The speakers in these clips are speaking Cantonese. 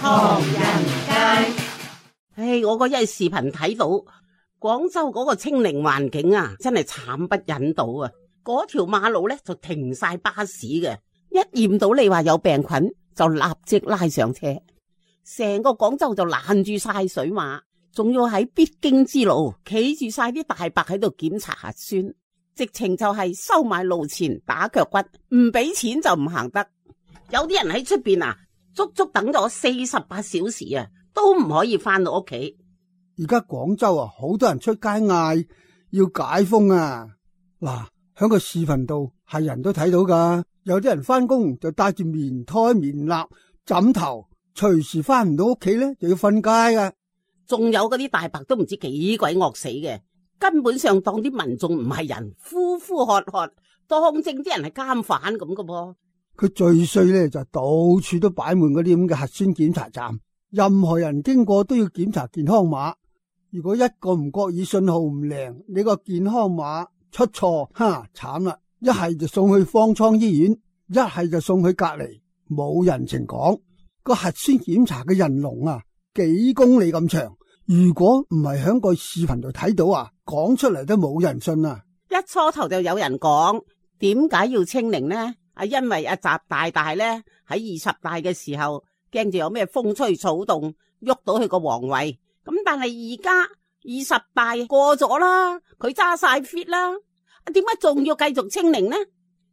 唐人街。我嗰日視頻睇到廣州嗰個清零環境啊，真係慘不忍睹啊！嗰條馬路咧就停晒巴士嘅，一驗到你話有病菌就立即拉上車，成個廣州就攔住晒水馬，仲要喺必經之路企住晒啲大白喺度檢查核酸，直情就係收買路錢打腳骨，唔俾錢就唔行得。有啲人喺出邊啊，足足等咗48小時啊，都唔可以翻到屋企。而家廣州啊，好多人出街嗌要解封啊！嗱，響個視頻度係人都睇到噶，有啲人翻工就帶住棉胎、棉衲、枕頭，隨時翻唔到屋企咧就要瞓街噶。仲有嗰啲大白都唔知幾鬼惡死嘅，根本上當啲民眾唔係人，呼呼喝喝，當正啲人係監犯咁噶噃。佢最衰咧就到處都擺滿嗰啲咁嘅核酸檢查站，任何人經過都要檢查健康碼。如果一個唔覺意信號唔靈，你個健康碼出錯，慘啦！一係就送去方艙醫院，一係就送去隔離，冇人情講。個核酸檢查嘅人龍啊，幾公里咁長。如果唔係響個視頻度睇到啊，講出嚟都冇人信啊！一初頭就有人講，點解要清零呢？因為習大大咧喺20大嘅時候，驚住有咩風吹草動，喐到佢個皇位。咁但係而家20大過咗啦，佢揸晒 fit 啦，點解仲要繼續清零呢？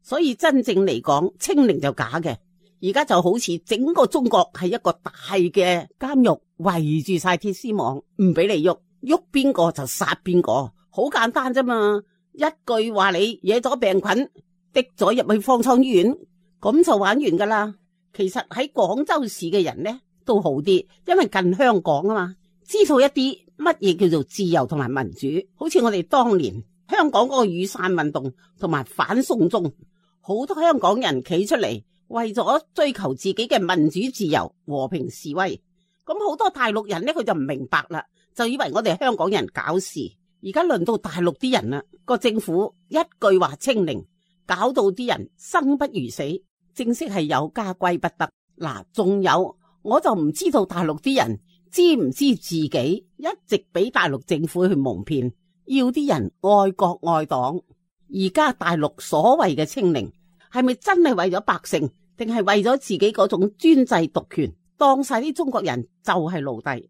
所以真正嚟講，清零就假嘅。而家就好似整個中國係一個大嘅監獄，圍住晒鐵絲網，唔俾你喐，喐邊個就殺邊個，好簡單啫嘛。一句話你惹咗病菌，滴咗入去方艙醫院，咁就玩完噶啦。其實喺廣州市嘅人呢都好啲，因為近香港啊嘛，知道一啲乜嘢叫做自由同埋民主。好似我哋當年香港嗰個雨傘運動同埋反送中，好多香港人企出嚟為咗追求自己嘅民主自由和平示威。咁好多大陸人呢，佢就唔明白啦，就以為我哋香港人搞事。而家輪到大陸啲人啦，個政府一句話清零，搞到啲人生不如死，正式係有家歸不得。嗱，仲有我就唔知道大陸啲人知唔知自己一直俾大陸政府去蒙騙，要啲人愛國愛黨。而家大陸所謂嘅清零，係咪真係為咗百姓，定係為咗自己嗰種專制獨權，當晒啲中國人就係奴隸？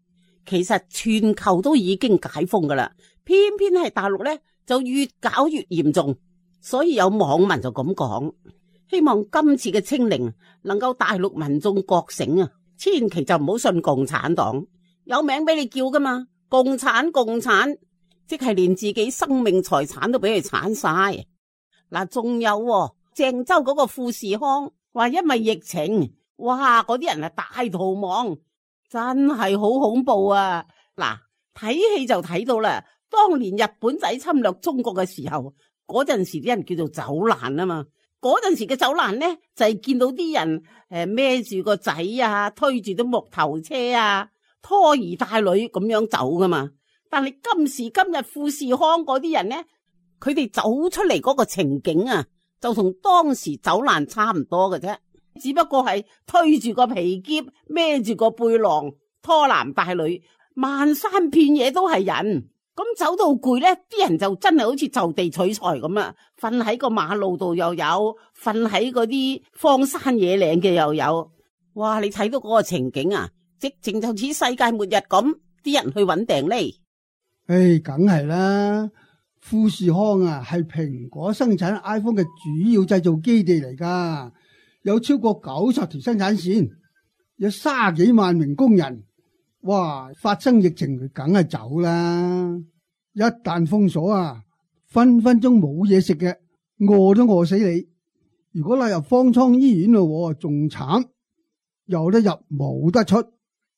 其實全球都已經解封噶啦，偏偏係大陸呢就越搞越嚴重。所以有網民就咁講，希望今次嘅清零能夠大陸民眾覺醒啊，千祈就唔好信共產黨，有名俾你叫噶嘛，共產，即係連自己生命財產都俾佢鏟晒。嗱，仲有鄭州嗰個富士康話因為疫情，哇，嗰啲人係大逃亡，真係好恐怖啊！嗱，睇戲就睇到啦，當年日本仔侵略中國嘅時候，嗰陣時啲人叫做走難啊嘛。嗰陣時嘅走難呢，就係見到啲人孭住個仔啊，推住啲木頭車啊，拖兒帶女咁樣走噶嘛。但係今時今日富士康嗰啲人呢，佢哋走出嚟嗰個情景啊，就同當時走難差唔多嘅啫，只不過係推住個皮篋，孭住個背囊，拖男帶女，漫山遍野都係人。咁走到攰呢，啲人就真係好似就地取材咁啊！瞓喺個馬路度又有，瞓喺嗰啲荒山野嶺嘅又有。哇！你睇到嗰個情景啊，直情就似世界末日咁，啲人去搵訂呢。梗係啦，富士康啊係蘋果生產 iPhone 嘅主要製造基地嚟噶，有超過90條生產線，有30幾萬名工人。哇！發生疫情佢梗係走啦，一旦封鎖啊，分分鐘冇嘢食嘅，餓都餓死你。如果拉入方艙醫院咯，仲慘，有得入冇得出。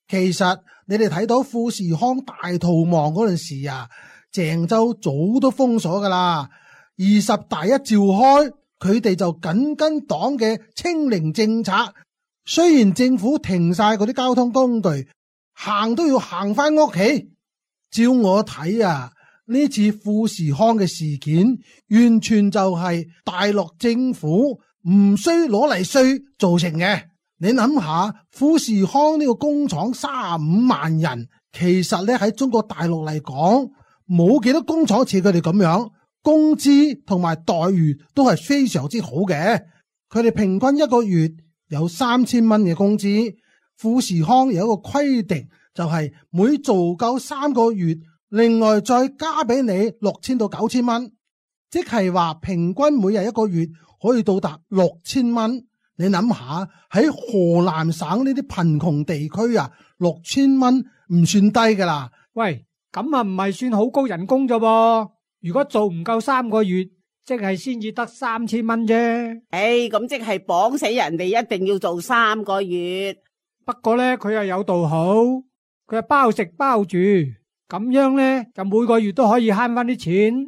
其實你哋睇到富士康大逃亡嗰陣時啊，鄭州早都封鎖噶啦。20大一召開，佢哋就緊跟黨嘅清零政策，雖然政府停晒嗰啲交通工具，行都要行翻屋企。照我睇啊，呢次富士康嘅事件完全就係大陸政府唔需攞嚟稅造成嘅。你諗下，富士康呢個工廠35萬人，其實咧喺中國大陸嚟講，冇幾多工廠似佢哋咁樣，工資同埋待遇都係非常之好嘅。佢哋平均一個月有3000蚊嘅工資。富士康有一個規定，就係每做夠3個月，另外再加俾你6000到9000蚊，即係話平均每日一個月可以到達6000蚊。你諗下喺河南省呢啲貧窮地區啊，6000蚊唔算低噶啦。喂，咁啊唔係算好高人工啫噃？如果做唔夠3個月，即係先至得3000蚊啫。咁即係綁死人哋，一定要做3個月。不過咧，佢又有道好，佢係包食包住，咁樣咧就每個月都可以慳翻啲錢。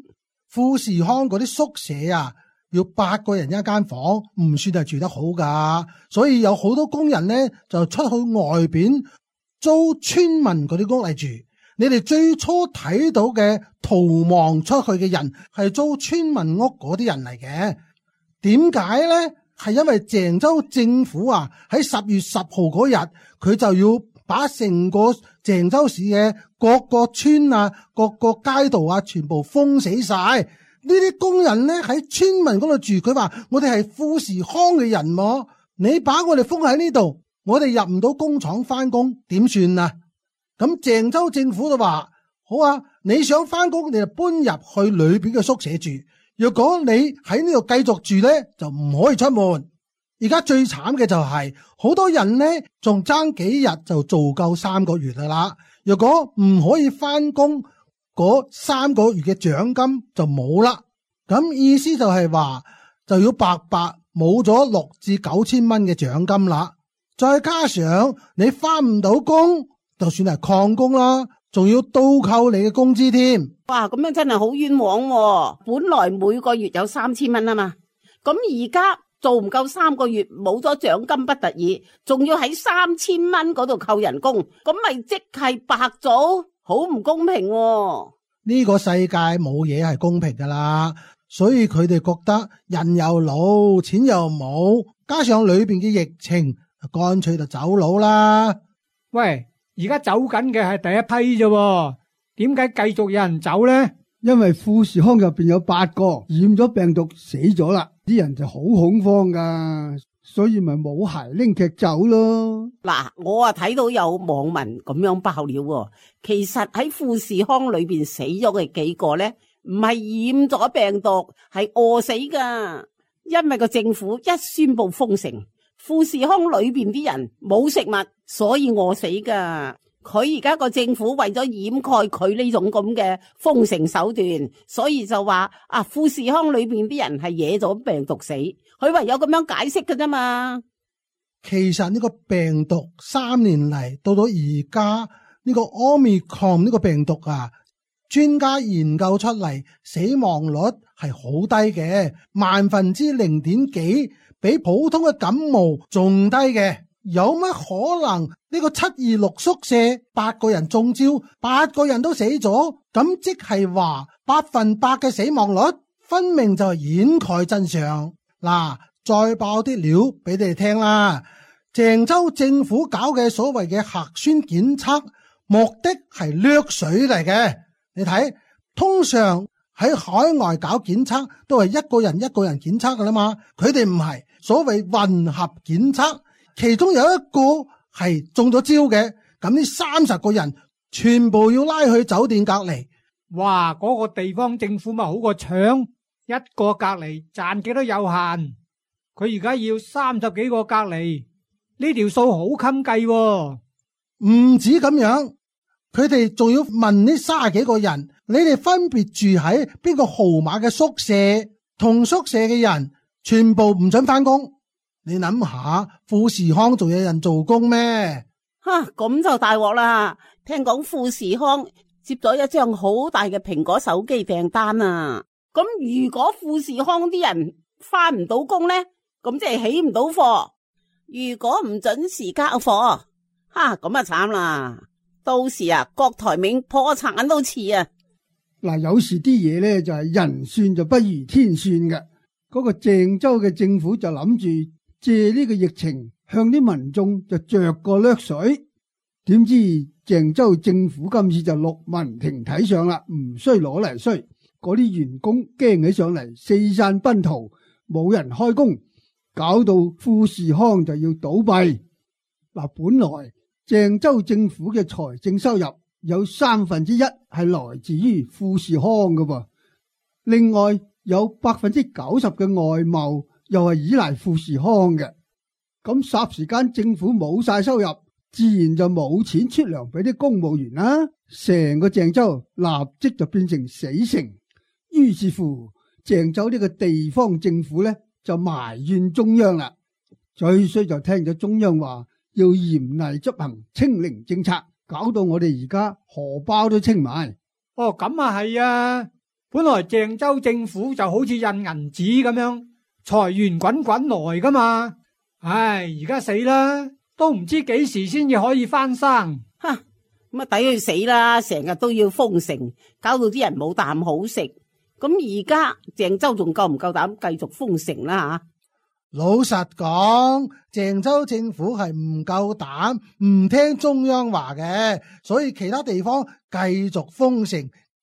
富士康嗰啲宿舍啊，要8個人一間房，唔算係住得好噶，所以有好多工人咧就出去外邊租村民嗰啲屋嚟住。你哋最初睇到嘅逃亡出去嘅人係租村民屋嗰啲人嚟嘅，點解咧？係因為鄭州政府啊喺10月10號嗰日，佢就要把成個鄭州市嘅各個村啊、各個街道啊，全部封死晒。呢啲工人咧喺村民嗰度住，佢話我哋係富士康嘅人喎，你把我哋封喺呢度，我哋入唔到工廠翻工，點算啊？咁鄭州政府就話好啊，你想翻工你就搬入去裏邊嘅宿舍住。若果你喺呢度繼續住咧，就唔可以出門。而家最慘嘅就係好多人咧，仲爭幾日就做夠3個月啦。若果唔可以翻工，嗰3個月嘅獎金就冇啦。咁意思就係話就要白白冇咗6至9千蚊嘅獎金啦。再加上你翻唔到工，就算係曠工啦，仲要倒扣你嘅工資添。哇，咁樣真係好冤枉喎。本來每個月有3000蚊啊嘛，咁而家做唔夠3個月，冇咗獎金不特止，仲要喺3000蚊嗰度扣人工，咁咪即係白做，好唔公平喎。呢個世界冇嘢係公平噶啦，所以佢哋覺得人又老，錢又冇，加上裏邊嘅疫情，乾脆就走佬啦。喂，而家走緊嘅係第一批啫，點解繼續有人走呢？因為富士康入邊有8個染咗病毒死咗啦，啲人就好恐慌噶，所以咪冇鞋拎劇走咯。嗱，我啊睇到有網民咁樣爆料喎，其實喺富士康裏邊死咗嘅幾個咧，唔係染咗病毒，係餓死噶。因為個政府一宣布封城，富士康裏邊啲人冇食物，所以餓死噶。佢而家個政府為咗掩蓋佢呢種咁嘅封城手段，所以就話富士康裏邊啲人係惹咗病毒死，佢唯有咁樣解釋㗎啫嘛。其實呢個病毒3年嚟到而家呢個 Omicron 呢個病毒啊，專家研究出嚟死亡率係好低嘅，0.0幾，比普通嘅感冒仲低嘅。有乜可能呢個726宿舍8個人中招，8個人都死咗？咁即係話100%嘅死亡率，分明就係掩蓋真相。嗱，再爆啲料俾你哋聽啦。鄭州政府搞嘅所謂嘅核酸檢測，目的係掠水嚟嘅。你睇，通常喺海外搞檢測都係一個人檢測噶啦嘛，佢哋唔係，所謂混合檢測。其中有一個係中咗招嘅，咁呢30個人全部要拉去酒店隔離。哇！嗰個地方政府咪好過搶，一個隔離賺幾多有限，佢而家要30幾個隔離，呢條數好襟計喎。唔止咁樣，佢哋仲要問呢30幾個人，你哋分別住喺邊個號碼嘅宿舍，同宿舍嘅人全部唔准翻工。你諗下，富士康仲有人做工咩？咁就大鑊啦！聽講富士康接咗一張好大嘅蘋果手機訂單啊！咁如果富士康啲人翻唔到工呢，咁即係起唔到貨。如果唔準時交貨，咁啊慘啦！到時郭台銘破產都遲啊！嗱，有時啲嘢咧就係人算就不如天算嘅。嗰個鄭州嘅政府就諗住借呢個疫情向啲民眾就着個掠水。點知鄭州政府今次就陸文停睇上啦，唔需攞嚟衰。嗰啲員工驚起上嚟，四散奔逃，冇人開工，搞到富士康就要倒閉。嗱，本來鄭州政府嘅財政收入有1/3係來自於富士康㗎噃，另外有90%嘅外貿又係依賴富士康嘅。咁霎時間政府冇晒收入，自然就冇錢出糧俾啲公務員啦。成個鄭州立即就變成死城。於是乎，鄭州呢個地方政府呢就埋怨中央啦。最衰就聽咗中央話要嚴厲執行清零政策，搞到我哋而家荷包都清埋。哦，咁啊係啊，本來鄭州政府就好似印銀紙咁樣，財源滾滾來噶嘛。唉，而家死啦，都唔知幾時先至可以翻生。哈，咁啊抵佢死啦！成日都要封城，搞到啲人冇啖好食。咁而家鄭州仲夠唔夠膽繼續封城啦？吓，老實講，鄭州政府係唔夠膽，唔聽中央話嘅，所以其他地方繼續封城，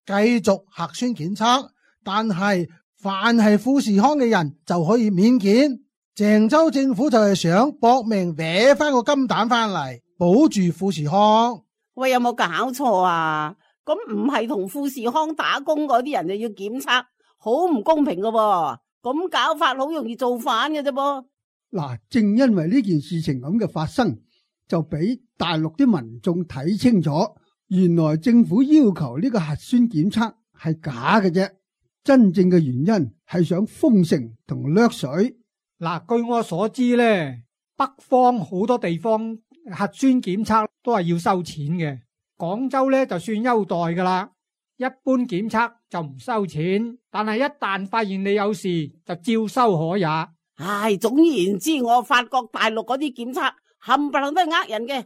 繼續核酸檢測。但係凡係富士康嘅人就可以免檢。鄭州政府就係想搏命搲翻個金蛋翻嚟，保住富士康。喂，有冇搞錯啊？咁唔係同富士康打工嗰啲人就要檢測，好唔公平噶噃。咁搞法好容易造反嘅啫噃。嗱，正因為呢件事情咁嘅發生，就俾大陸啲民眾睇清楚，原來政府要求呢個核酸檢測係假嘅啫，真正嘅原因係想封城同掠水。嗱，據我所知咧，北方好多地方核酸檢測都係要收錢嘅。廣州咧就算優待噶啦，一般檢測就唔收錢，但係一旦發現你有事，就照收可也。唉，總言之，我發覺大陸嗰啲檢測冚唪唥都係呃人嘅。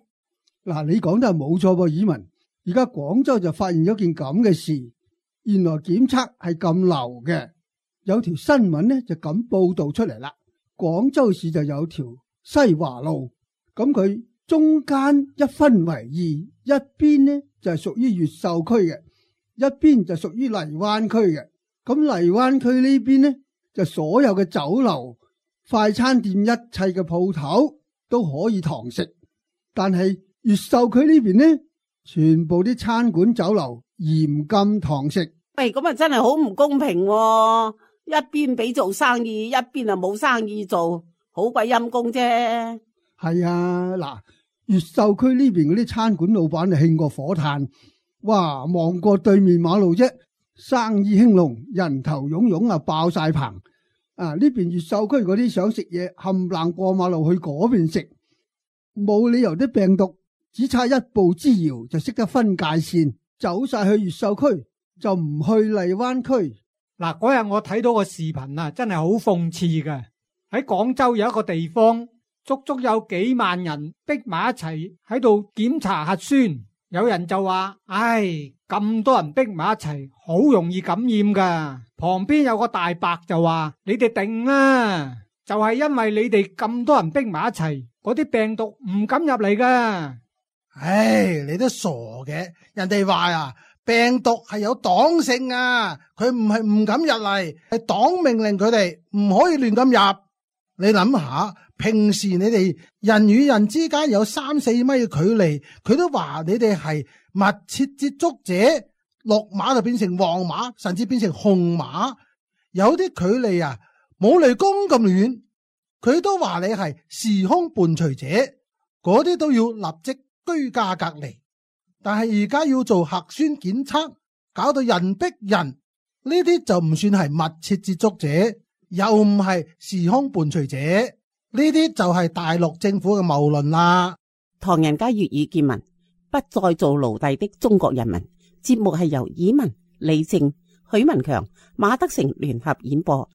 嗱，你講得係冇錯噃，以文。而家廣州就發現咗件咁嘅事，原來檢測係咁流嘅。有條新聞呢就咁報道出嚟啦。廣州市就有條西華路，咁佢中間一分為二，一邊呢就係屬於越秀區嘅，一邊就屬於荔灣區嘅。咁荔灣區呢邊呢，就所有嘅酒樓、快餐店一切嘅鋪頭都可以堂食，但係越秀區呢邊呢，全部啲餐館酒樓嚴禁堂食。喂，咁啊真係好唔公平喎，一邊俾做生意，一邊啊冇生意做，好鬼陰公啫。係啊，嗱，越秀區呢邊嗰啲餐館老闆就興過火炭，哇，望過對面馬路啫，生意興隆，人頭湧湧啊，爆晒棚。啊，呢邊越秀區嗰啲想食嘢，冚唪唥過馬路去嗰邊食，冇理由啲病毒只差一步之遙就識得分界線，走晒去越秀區，就唔去荔灣區。嗱，嗰日我睇到個視頻啊，真係好諷刺嘅。喺廣州有一個地方，足足有幾萬人逼埋一齊喺度檢查核酸，有人就話：唉，咁多人逼埋一齊，好容易感染噶。旁邊有個大伯就話：你哋定啦，就係因為你哋咁多人逼埋一齊，嗰啲病毒唔敢入嚟噶。唉，你都傻嘅，人哋話啊，病毒係有黨性啊，佢唔係唔敢入嚟，係黨命令佢哋唔可以亂咁入。你諗下，平時你哋人與人之間有3-4米嘅距離，佢都話你哋係密切接觸者，綠碼就變成黃碼，甚至變成紅碼。有啲距離啊，冇雷公咁遠，佢都話你係時空伴隨者，嗰啲都要立即居家隔離。但係而家要做核酸檢測，搞到人逼人，呢啲就唔算係密切接觸者，又唔係時空伴隨者，呢啲就係大陸政府嘅謬論啦。唐人街粵語見聞，不再做奴隸的中國人民。節目係由以文、李靜、許文強、馬德成聯合演播。